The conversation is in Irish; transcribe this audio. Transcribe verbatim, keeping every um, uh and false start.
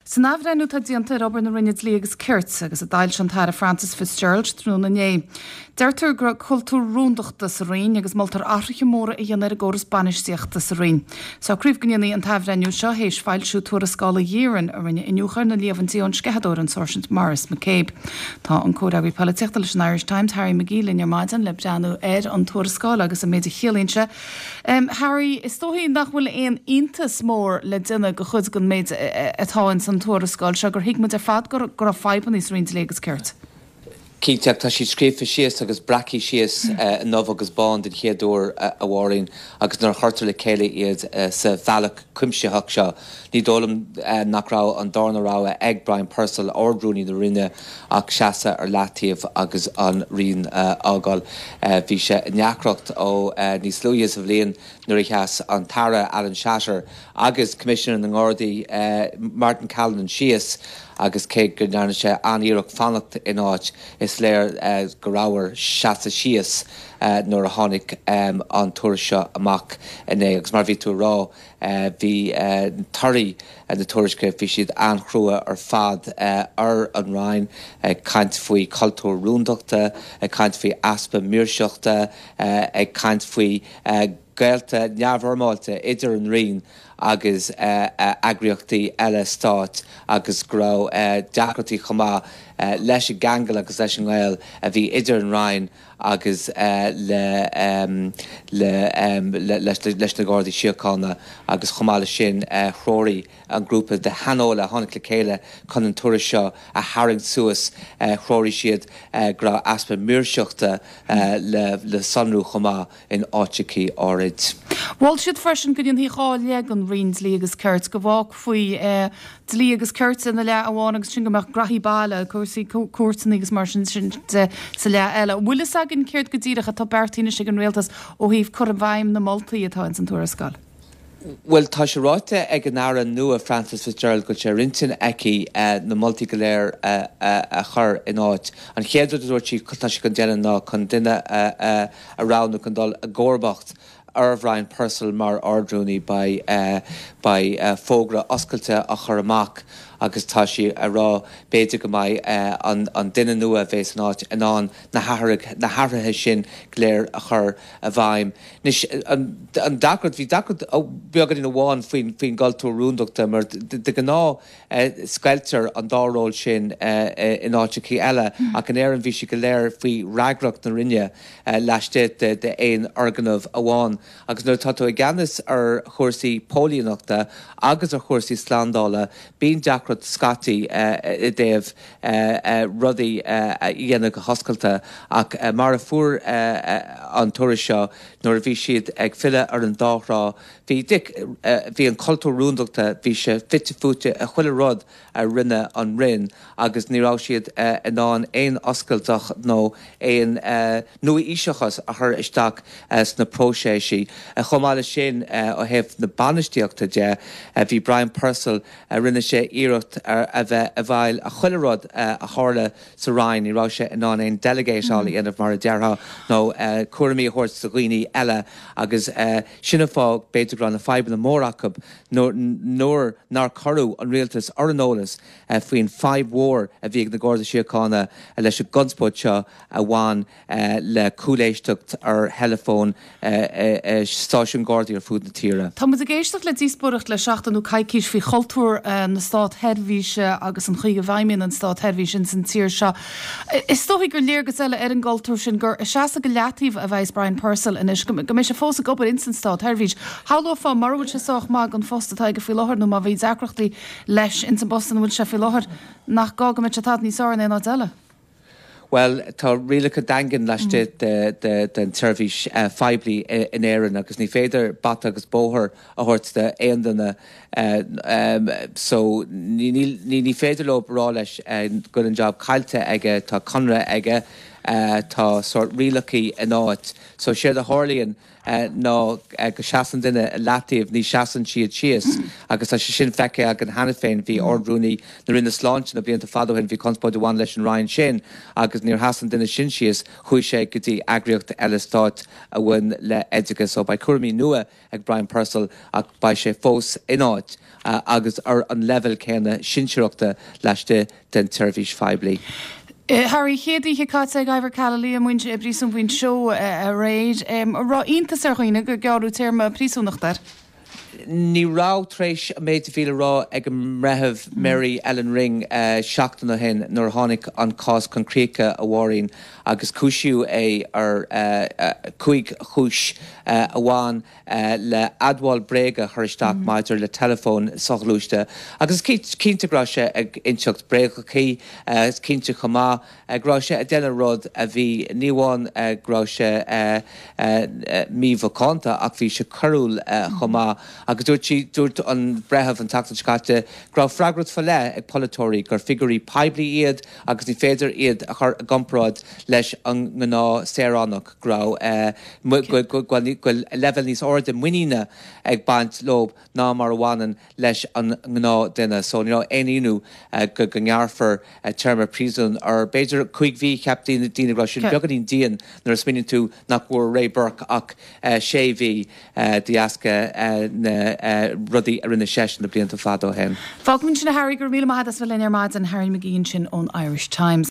San athbhreithniú atá déanta ar obair na Roinne Dlí agus Cirt agus a d'fhoilsigh an tAire Frances Fitzgerald tráthnóna inné. Deirtear go raibh cultúr rúndachta sa Roinn agus moltar athruithe móra a dhéanamh ar an gcóras bainistíochta sa Roinn. Socraíodh go ndéanfaí an t-athbhreithniú seo théis foilsiú tuarascála Ghearan a rinne iniúchadh ar na líomhaintí ón sceitheadóir an Sáirsint Maurice McCabe. Tá an comhfhreagraí polaitíochta leis an Irish Times Harry McGee linn ar maidin le breathnú ar an tuarascáil agus an méid a chiallaíonn sé. Um, Harry, is dóigh nach bhfuil aon iontas mór le déanamh de chuid den méid atá in san tuarascáil seo gur thuig muid ar fad go raibh fadhbanna sa Roinn Dlí agus Cirt. Cinnte tá siad scríofa síos agus breactha síos i ndubh agus bán den chéad uair a Mháirín agus nuair a chuirtear le chéile iad sa bhealach cuimsitheach seo. Ní dóigh liom nach raibh an darna rogha ag Brian Purcell Ard-Rúnaí na Roinne ach seasamh ar leataobh agus an Roinn a fhágáil. Bhí sé i ndeacracht ó níos luaithe sa bhliain nuair a sheas an tAire Alan Shatter agus Coimisinéir na nGardaí Martin Callinan síos agus cé go ndearna sé an-iarracht fanacht in áit is léir go raibh air seasamh síos nuair a tháinig an tuairisc seo amach inné agus mar bhí tú rá bhí torthaí na tuairisce bhí siad an-chrua ar fad ar an Roinn ag caint faoi cultúr rúndachta, ag caint faoi easpa maoirseachta, ag caint faoi gaolta neamhfhoirmeálta idir an Roinn agus eagraíochtaí eile stáit agus go raibh deacrachtaí chomh maith leis an gceangal agus leis an ngaol a bhí idir an Roinn agus le le leis na Gardaí Síochána agus chomh maith leis sin threoraigh an grúpa de shaineolaithe a tháinig le chéile chun an tuairisc seo a tharraingt suas threoraigh siad go raibh easpa maoirseachta le le sonrú chomh maith in áiteachaí áirid. Mhol siad freisin go ndéanfaí dhá leath den Roinn Dlí agus Cirt go bhfágfaí dlí agus cirt ina leath amháin agus sin go mbeadh gnaithí baile cúrsaí cúirteanna agus mar sin sin de sa leath eile. Bhfuil fhios againn céard go díreach atá beartaithe ag an rialtas ó thaobh cur i bhfeidhm na moltaí atá in san tuarascáil. Well tá sé ráite ag an Aire nua Frances Fitzgerald go sé ar intinn aici na moltaí go léir a chur in áit. An chéad rud a dúirt sí tá sí chun déanamh ná chun duine a roghnú chun dul i gcomharbacht ar Bhrian Purcell mar Ard-Rúnaí beidh fógra oscailte á chur amach agus tá sí ag rá b'fhéidir go mbeidh an duine nua bheas in áit in ann na na hathruithe sin go léir a chur i bhfeidhm. Anois an deacracht bhí deacracht beagáinín amháin faoin faoin gcultúr rúndachta mar de ghnáth scoiltear an dá ról sin in áiteachaí eile ach in Éirinn bhí sé go léir faoi fhreagracht na Roinne laistigh de d'aon fhoirgneamh amháin agus nuair atá tú i gceannas ar chúrsaí póilíneachta agus ar chúrsaí slándála bíonn deacracht scaití i dtaobh rudaí a dhéanamh go hoscailte ach mar a fuair an tuairisc seo nuair a bhí siad ag filleadh ar an dá thrá bhí bhí an cultúr rúndachta bhí sé fite fuaite i chuile rud a rinne an Roinn agus ní raibh siad in ann aon oscailteacht nó aon nua-aoiseachas a chur isteach sna próiseas. Chomh maith leis sin ó thaobh na bainistíochta de bhí Brian Purcell rinne sé iarracht a bheith i bhfeighil a chuile rud a tharla sa Roinn, ní raibh sé in ann aon delegateáil a dhéanamh mar a déarfá nó cúraimí a thabhairt do dhaoine eile agus sin an fáth b'fhéidir go raibh na fadhbanna mór acu nuair nár cuireadh an rialtas ar an eolas faoin fadhb mhór a bhí ag na Gardaí Síochána leis an gconspóid seo a bhain le cúléisteacht ar theileafón stáisiún Gardaí ar fud na tíre. Tá muid ag éisteacht le díospóireacht le seachtain nó coicís faoi chultúr na státsheirbhíse agus an chaoi a bhfeidhmíonn an státseirbhís in san tír seo. Is dóigh gur léargas eile ar an gcultúr sin gur seasamh go leataobh a bheas Brian Purcell anois go mbeidh sé fós ag obair in san státsheirbhís. Shamhlófá mura bhfuil sé sách maith don phost atá aige faoi láthair nó má bhí deacrachtaí leis in san bpost ina bhfuil sé faoi láthair nach gá go mbeadh sé tada níos fearr in aon áit eile. Well tá rialacha daingean laistigh den tseirbhís phoiblí in Éirinn agus ní féidir bata agus bóthar a thabhairt d'aon duine so ní ní féidir leo rá leis go an job caillte aige tá conradh aige Tá sórt rialachaí in áit. So séard a tharlaíonn ná go seasann duine i leataobh, ní seasann siad síos agus tá sé sin feicthe againn cheana féin. Bhí Ard-Rúnaí na Roinne Sláinte na blianta fada ó shin, bhí conspóid a bhain leis an Roinn sin agus níor sheas an duine sin síos, chuaigh sé go dtí eagraíocht eile stáit a bhain le oideachas. So beidh cúraimí nua ag Brian Purcell ach beidh sé fós in áit agus ar an leibhéal céanna sinsearachta laistigh den tseirbhís phoiblí. Harry, chéad oíche caite ag Ivor Callely i bpríosún Mhuinseo aréir. An raibh iontas ar dhaoine gur gearradh téarma príosúnachta air? Ní raibh, tar éis an méid a bhí le rá ag an mBreitheamh Mary Ellen Ring seachtain ó shin nuair a tháinig an cás chun críche, a Mháirín, agus cúisíodh é ar chúig chúis a bhain le admháil bréige a chur isteach maidir le teileafón soghluaiste. Agus is cinnte go raibh sé ag inseacht bréagachaí, is cinnte chomh maith go raibh sé ag déanamh rud a bhí, ní amháin go raibh sé mímhacánta ach bhí sé coiriúil chomh maith. Agus dúirt sí, dúirt an breitheamh an tseachtain seo caite go raibh freagracht faoi leith ag polaiteoirí, gur figiúirí poiblí iad agus ní féidir iad a chur i gcomparáid leis an ngnáth-saoránach, go raibh, go bhfuil leibhéal níos airde muiníne ag baint leo ná mar a bhaineann leis an ngnáthdhuine. So ní raibh aon ionadh go go ngearrfar téarma príosúin ar b'fhéidir cúig mhí, cheap daoine go raibh sin beagáinín dian nuair a smaoiníonn tú nach bhfuair Ray Burke ach sé mhí de dheasca na rudaí a rinne seisean na blianta fada ó shin. Fágfaimid ansin é Harry, go raibh míle maith agat as bheith linn ar maidin, Harry McGee ansin ón Irish Times.